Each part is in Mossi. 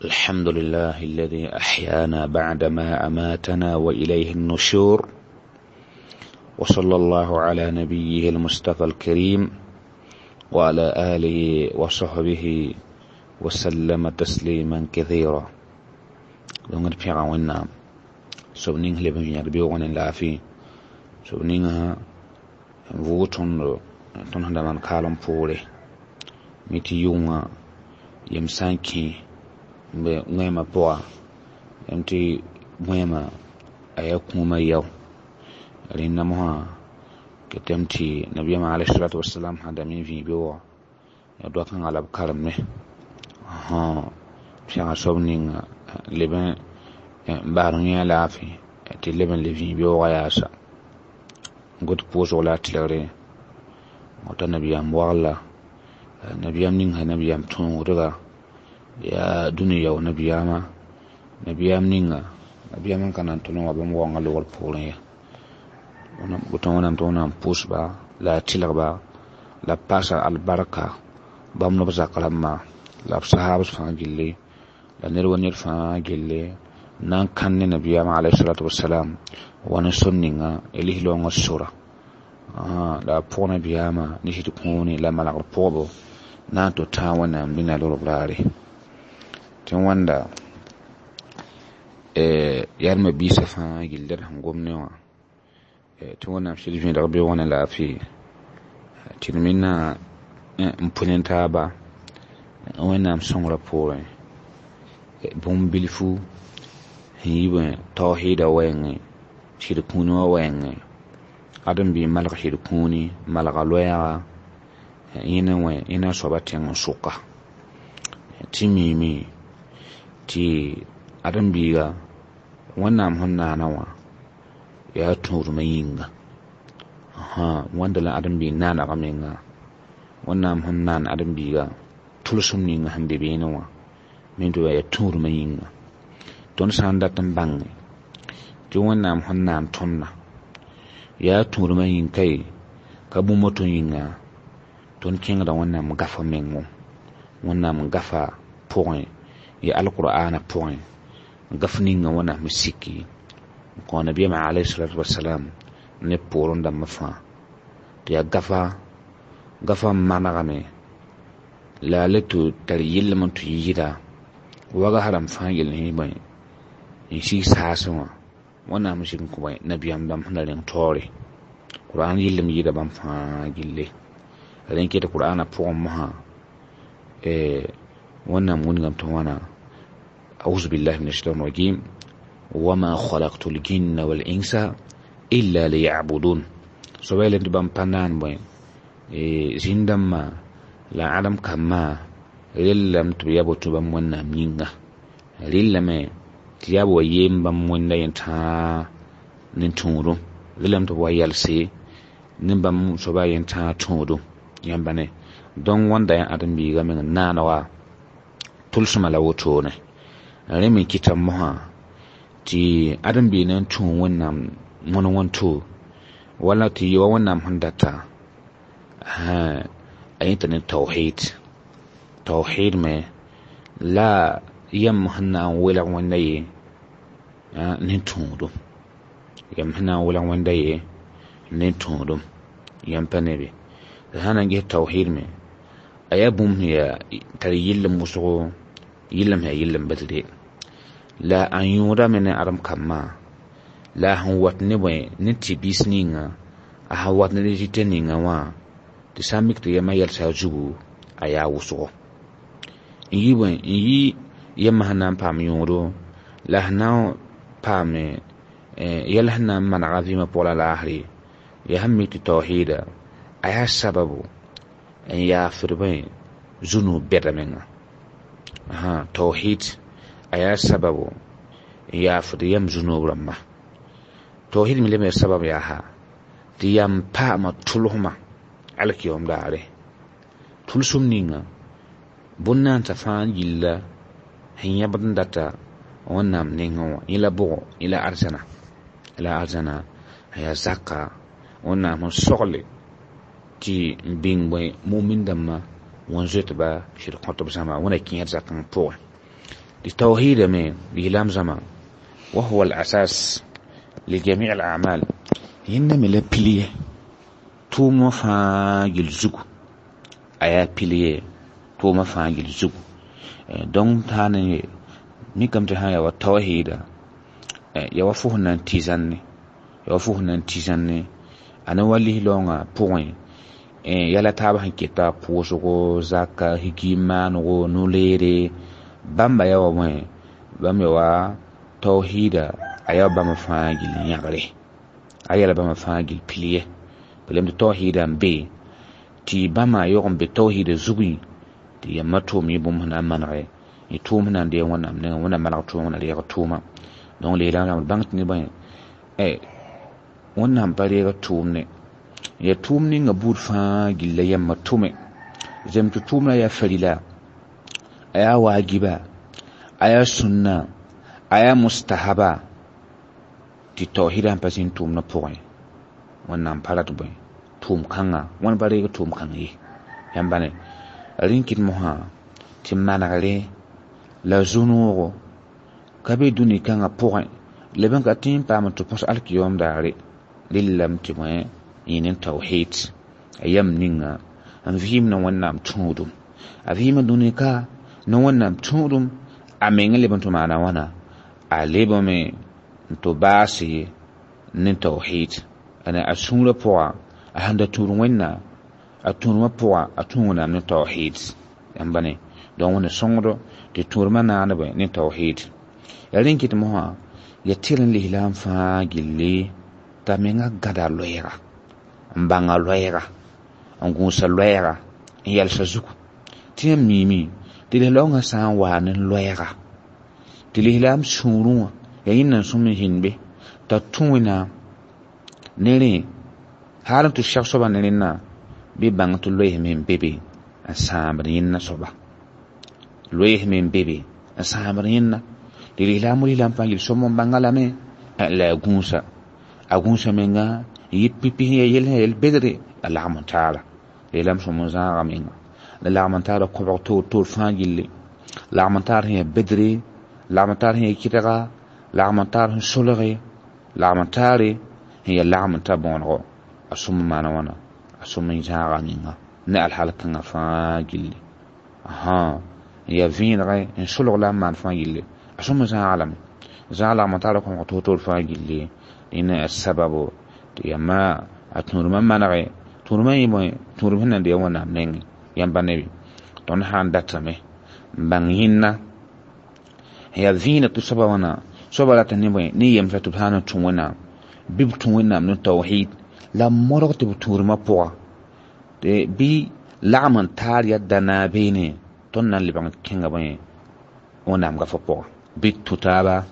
الحمد لله الذي أحيانا بعدما أماتنا وإليه النشور وصلى الله على نبيه المصطفى الكريم وعلى آله وصحبه وسلم تسليما كثيرا. دونغ بيغا وينام sob ning leb n yãd beoogẽ ne laafɩ sob ninga n vʋʋg tõndo tõnd sẽn da maan kaalem poore mi tɩ yʋngã yem sã n kẽ n be wẽemã pʋga yam tɩ wẽemã a yaa kũumã yao rẽnda mosã ketame tɩ nabiyaamã alayhi wasalam sã dame n vĩig beoogã yaa doa kãngã la b karemme pɛga soab ninga leb n basd yẽ laafɩ tɩ leb n le vĩig beoogã yaasa n got pʋʋsg la a tɩlgre wata nabiyaam wagla nabiyaam ning sã nabiyaam tõogdga yaa dũni yao nabiyaamã nabiyaam ninga nabiyaam n ka na n tʋl n wa bãmb waoongã logr poorẽ ya woto wẽnnaam tɩ wẽnnaam pʋʋsba la a tɩlgba la b paasa albarka bãmb ne b zak rãmbã la b sahaabs fãa gilli la ned wa ned fãa gilli na n kãn ne nabiyaamã alayhi salatu wasalam wa ne sor ninga y lis-laoongã sora la a pʋg nabiyaamã ne sɩd kũune la malgr pʋgbo na n tɩ tãag wẽnnaam dĩnã lorb raare tɩ wãnda yãrma biisã fãa gilli d sẽn gom ne wã tɩ wẽnnaam sɩd vẽedg beoogã ne laafɩ tɩ d mena n pʋ ne taaba wẽnnaam sõngrã poorẽ bũmb bilfu sẽn yi bẽ taohɩɩda wɛɛngẽ sɩd kũuni wã wɛɛngẽ ãdem-bi malg sɩd kũuni malga loɛɛga yẽna wẽ yẽna soaba tẽng n sʋka tɩ miime tɩ ãdem-biiga wẽnnaam sẽn naana wã yaa tũudmã yĩnga wãnda la ãdem-biig naanega menga wẽnnaam sẽn naan ãdem-biiga tʋlsem ninga sẽn be beene wã me tɩ yaa tũudmã yĩnga tõnd sã n dat n bãnge tɩ wẽnnaam sẽn naan tõndã yaa tũudmã yĩng kae ka bũmb woto yĩnga tõnd kẽngda wẽnnaam gafa mengo wẽnnaam gafa pʋgẽ ya alqur'ana pʋgẽ gaf ninga wẽnnaam siki n kõ nabiyaamã alayhi salatu wasalam ne poorẽ dãmbã fãa tɩ yaa gafa gafa n manegame la a le tɩ tar yellem n tɩ yɩɩda wagas rãmb fãa yell sẽn bõe n sig saasẽ wã wẽnnaam sik n kõ bõe nabiyaam dãmb sẽn da rẽng taoore qur'an yellem yɩɩda bãmb fãa gille rẽn ket qur'ana pʋgẽ mosã wẽnnaam wilgame tɩ wãna أعوذ بالله من الشيطان الرجيم وما خلقت الجن والإنس إلا ليعبدون soaba tɩ bãmb pa naan bõe zĩn-dãmbã la ãdem kambã rellame tɩ b yaa boto bãmb wẽnnaam yĩnga rellame tɩ yaa b wa yeem bãmb wẽnda yẽn tãa ne tũudum rellame tɩ b wa yalse ne bãmb soaba yẽn tãa tũudum yãmba ne donc wãnda yaa ãdem-biiga meng n naanega tʋlsmã la wotone rẽ me kɩta mosã tɩ ãdem-biig na n tũ wẽnnaam wõn wẽn-to wala tɩ yɩ wa wẽnnaam sẽn data a yẽta ne tawhid tawhid me la yam sẽn na n welg wẽnda ye ne tũudum yam sẽn na n welg wẽnda ye ne tũudum yãmb pa ne be sã na n ges tawhid me a yaa bũmb sẽn yaa tar yillem wʋsgo yillem sẽn yaa yillem badre la a yõodame ne ãdem kambã la a sẽn wat ne bõe ne tɩ-biis ninga a sẽn wat ne rɩtɛ ninga wã tɩ sã n mik tɩ yamã yɛlsa a zugu a yaa wʋsgo n yi bõe n yi yamã sẽn na n paam yõodo la sẽn na n paam yɛl sẽn na n manega vɩɩmã pʋgã la laasre yaa sẽn mik tɩ taohɩɩda a yaa sababu n yaafd bõe zu-noog bɛda menga tawhid a yaa sababu n yaafd yam zu-noog rãmba tawhid me leb sabab yaa ha tɩ yam paama tʋlsmã alkiyom daare tʋlsem ninga bõn-naansa fãa yilla sẽn yãbd n data wẽnnaam nengẽ wã yẽ la bʋgo yẽ la arzãna la arzãna a yaa zaka wẽnnaam sẽn sogle tɩ n bĩng bõe mumin dãmbã wẽn zoetba sɩd kõt b zãma wẽna kẽer zakãng pʋgẽ Tɩ tawhiida me lislaam zãma wa huwa al-asas li jami' al-a'mal yẽnda me la pil ye tʋʋmã fãa gill zugu a yaa pil ye tʋʋmã fãa gill zugu donc sã n ye mikame tɩ sã n yaa wa tawhiida ya wa fo sẽn na n tɩ zãnne ya wa fo sẽn na n tɩ zãnne a ne wa lislaoongã pʋgẽ yɛla taab sẽn keta pʋʋsgo zaka higi maanego no-leere bãmba yaa wa bõe bãmb ya wa tawhiida a yaa wa bãmb fãa gill yãgre a yɛla bãmb fãa gill pil ye pelem tɩ tawhiida n be tɩ bãmba yog n be tawhiida zugẽ tɩ yãmba tʋʋm yẽ bũmb sẽn na n manege y tʋʋm sẽn na n deeg Wẽnnaam nengẽ Wẽnnaam maneg tʋʋma Wẽnnaam reeg tʋʋma donc lislaam d bãng tɩ ne bõe Wẽnnaam pa reeg tʋʋmne ya tʋʋm ninga buud fãa gilla yãmba tʋme zem tɩ tʋʋmna yaa farila a yaa waajiba a yaa sũnna a yaa mustahaba tɩ tawhiida sẽn pa zĩnd tʋʋmdã pʋgẽ Wẽnnaam pa rat bõe tʋʋm kãnga Wẽnd pa reeg tʋʋm kãng ye yãmba ne rẽn kɩt mosã tɩ manegre la zu-noogo ka be dũni kãngã pʋgẽ leb n ka tɩ n paam tɩ põs alkiyom daare rɩllame tɩ bõe yẽ ne tawhid a yam ninga n vɩɩm na Wẽnnaam tũudum a vɩɩma dũni ka ne Wẽnnaam tũudum a meng leb n tɩ maana wãna a lebame n tɩ baase ne tawhid a sũurã pʋga a sẽn da tũud Wẽnnaam a tũudmã pʋga a tũ Wẽnnaam ne tawhid yãmba ne donc Wẽnna sõngdo tɩ tũudmã naanebe ne tawhid ya rẽn kɩt mosã ya tɩr n lislaam fãa gilli t'a menga gãda loɛɛga n bãnga loɛɛga n gũusa loɛɛga n yɛlsa zugu tɩ yãmb miime tɩ lislaoongã sã n waa ne loɛɛga tɩ lislaam sũurẽ wã yaa yẽnda n sõm n zĩnd be t'a tũ Wẽnnaam ne rẽ hal n tɩ sɛg soaba ne rẽnna bɩ bãng tɩ loeesme n be be n sãambd yẽnna soaba loeesme n be be n sãambd yẽnna tɩ lislaam lislaam fãa yel sõm n bãnga lame la a gũusa a gũusa menga n yɩ pipi sẽn ya yel sẽn yel bedre a lagm n taara lislaam sõm n zãaga menga la lagm n taara kõbg toor toor fãa gilli lagm n taar sẽn ya bedre lagm n taar sẽn ya kɩdga lagm n taar sẽn solge lagm n taare sẽn ya lagm n ta bõonego a sõm n maana wãna a sõm n zãaga menga ne alhal kãngã fãa gilli n ya vẽenegẽ n solg la n maan fãa gilli a sõm n zãaga lame zãag lagm n taara kõbg toor toor fãa gilli rẽna yaa sababo tɩ yãmba a tũudmã manege tũudmã yẽ bõe tũudum sẽn na n deeg Wẽnnaam nengẽ yãmba ne bɩ tõnd sã n datame n bãng yẽnna yaa vẽeneg tɩ soaba wãna soaba rata ne bõe ne yemsa tɩ b sã n tũ Wẽnnaam bɩ b tũ Wẽnnaam ne tawhid la modg tɩ b tũudmã pʋga bɩ lagm n taar yaa dana beene tõnd na n lebg n kẽnga bõe Wẽnnaam gafã pʋgã bɩ tũ taaba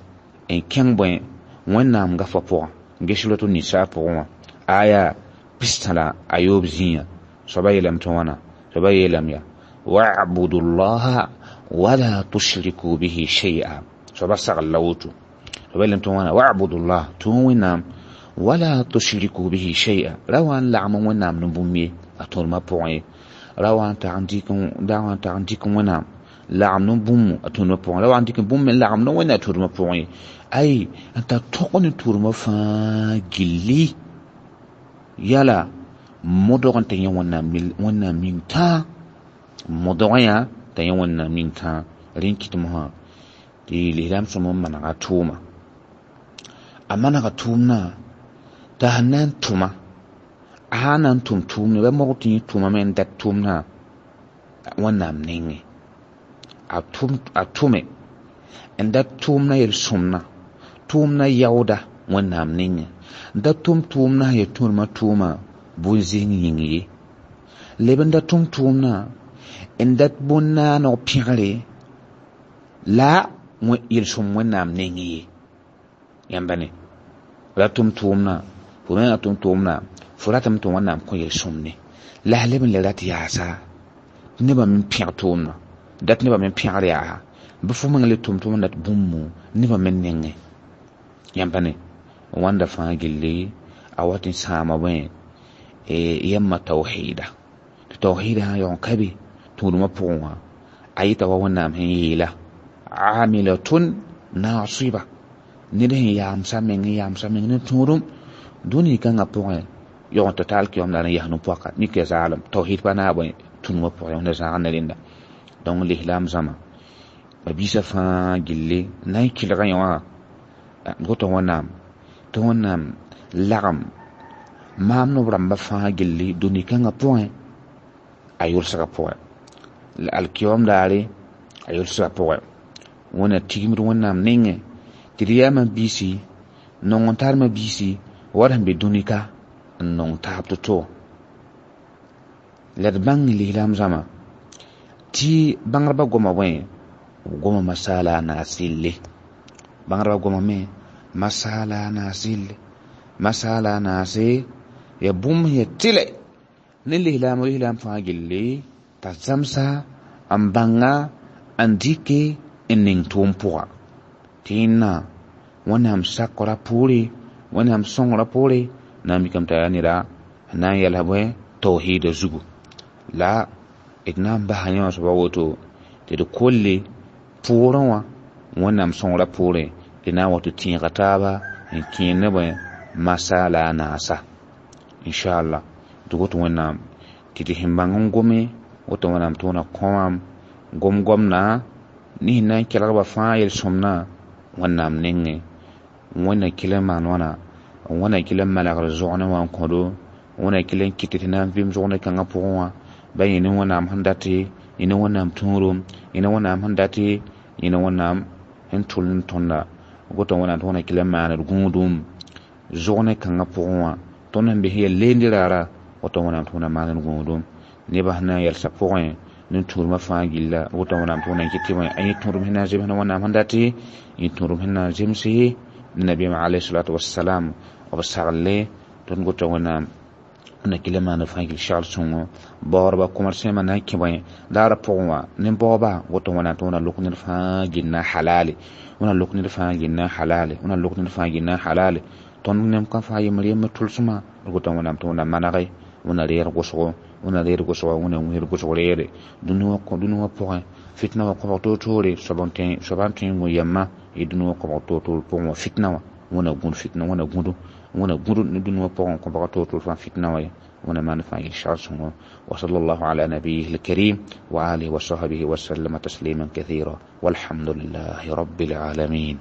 n kẽng bõe Wẽnnaam gafã pʋgã n ges suratu nisa pʋgẽ wã aya pistã la a yoob zĩiga soaba yeelame tɩ wãna soaba yeelame yaa wa'budu llaha wala tushriku bihi shay'a soaba sagl la woto soaba yeelame tɩ wãna wa'budu llah tũ Wẽnnaam wala tushriku bihi shay'a ra wa n lagm Wẽnnaam ne bũmb ye a tõodmã pʋgẽ ye ra wa n tag n dɩk Wẽnnaam lagm ne bũmb a tũudmã pʋgẽ ra wa n dɩk bũmb me lagm ne Wẽnnaam a tũudmã pʋgẽ ye ay n tar tõg ne tũudmã fãa gilli yala modg n tɩ yẽ Wẽnnaam ning tãa modg yã t'a yẽ Wẽnnaam ning tãa rẽn kɩt mosã tɩ lislaam sõm n manega tʋʋma a manega tʋʋmdã t'a sẽn na n tʋma a sã n na n tʋm tʋʋmne ba modg tɩ yẽ tʋmame n dat tʋʋmdã Wẽnnaam nengẽ a tʋme n dat tʋʋmdã yel-sõmdã tʋʋmdã yaooda Wẽnnaam nengẽ n da tʋm tʋʋmdã sẽn ya tũudmã tʋʋma bũn-zĩng yĩng ye leb n da tʋm tʋʋmdã n dat bũn-naaneg pẽgre la yel-sõm Wẽnnaam nengẽ ye yãmba ne ra tʋm tʋʋmdã fo mengã tʋm tʋʋmdã fo ratame tɩ Wẽnnaam kõ yel-sõmne la a leb n le rat yaasa tɩ nebã me pẽg tʋʋmdã dat nebã me pẽgr yaa bɩ fo meng le tʋm tʋʋm n dat bũmb nebã me nengẽ yãmba ne wãnda fãa gilli a wat n sãama bõe yãmba tawhiida tɩ tawhiida sã n yaoon ka be tũudmã pʋgẽ wã a yɩta wa Wẽnnaam sẽn yeela amilatun nasiba ned sẽn yaamsa meng n yaamsa meng ne tũudum dũni kãngã pʋgẽ yog n tɩ taal kɩyom la n yas no-poaka mik ya zaalem tawhid pa naab tũnumã pʋgẽ wẽnda zãag ne rẽnda donc lislaam zãma ma-biisã fãa gilli na n kɩlga yẽ wã woto wẽnnaam tɩ wẽnnaam lagem maam nob rãmbã fãa gilli dũni kãngã pʋgẽ a yʋlsgã pʋgẽ la alkiyom daare a yʋlsgã pʋgẽ wẽnna tigimd wẽnnaam nengẽ tɩ d yaa ma-biisi nong n tar ma-biisi wa d sẽn be dũni ka n nong taab to-to la d bãng lislaam zãma tɩ bãngdbã goma bõe b goma masaala a naas sɩlle bãngdbã gomame masaala a naas sɩlle masaala a naase ya bũmb sẽn ya tɩlɛ ne lislaam lislaam fãa gilli t'a zãmsa n bãnga n dɩke n ning tʋʋm pʋga tɩ yẽnna wẽnnaam sakra poore wẽnnaam sõngra poore na n mikame t'a yaa neda n na n yɛls bõe tawhiida zugu la d na n basa yẽ wã soaba woto tɩ d kolle pʋʋrẽ wã wẽnnaam sõngra poorẽ d na n wa tɩ tẽega taaba n kẽer ne bõe masaala a naasa inchallah tɩ woto wẽnnaam tɩ tɩ sẽn bãng n gome woto wẽnnaam tɩ wẽna kõwam gom-gomdã ne sẽn na n kelgba fãa yel-sõmdã wẽnnaam nengẽ wẽnna kɩl n maan wãna wẽnna kɩl n manegd zogne wã n kõdo wẽnna kɩl n kɩt tɩ na n vɩɩm zogne kãngã pʋgẽ wã ba yẽ ne wẽnnaam sẽn date yẽ ne wẽnnaam tũudum yẽ ne wẽnnaam sẽn date yẽ ne wẽnnaam sẽn tʋl n tõnda woto wẽnnaam tɩ wẽnna kɩl n maand gũudum zogne kãngã pʋgẽ wã tõnd sẽn be sẽn yaa leende raara woto wẽnnaam tɩ wẽnna maand gũudum nebã sẽn na n yɛlsa pʋgẽ ne tũudmã fãa gilla woto wẽnnaam tɩ wẽnna kɩt tɩ yẽ tũudum sẽn na n zems ne wẽnnaam sẽn date yẽ tũudum sẽn na n zemse ne nabiyaam alayhi salatu wassalam b sagle tõnd gota wẽnnaam na kɩl n maan fãa gil segl sõngo baoodba kʋmd na n kẽ bõe daarã pʋgẽ wã ne baooba woto wẽnnaam tɩ wẽnna lʋk ned fãa gilna halale wẽnna lʋk ned fãa gilna halale wẽnna lʋk ned fãa gilna halale tõnd nem ka fãa yembr yembr tʋlsmã d gota wẽnnaam tɩ wẽnna manege wẽnna reer gʋsgo wẽnna reer gʋsgo wẽnna wĩr gʋsg reere dũni wã pʋgẽ fitna wã kõbg toor-toore soab n tõe n gũ yɛmma y dũni wã kõbg toor-toor pʋgẽ wã fitna wã wẽnna gũud fitna wẽnna gũdu wẽnna gũud ne dũni wã pʋgẽ kõbg toor-toor fãa fitna wã ye wẽnna maan fãa yel segl sõngo wa sallallahu ala nabiyihi alkarim wa alihi wa sahbihi wa sallama tasliman kathira walhamdulillahi rabbil alamin.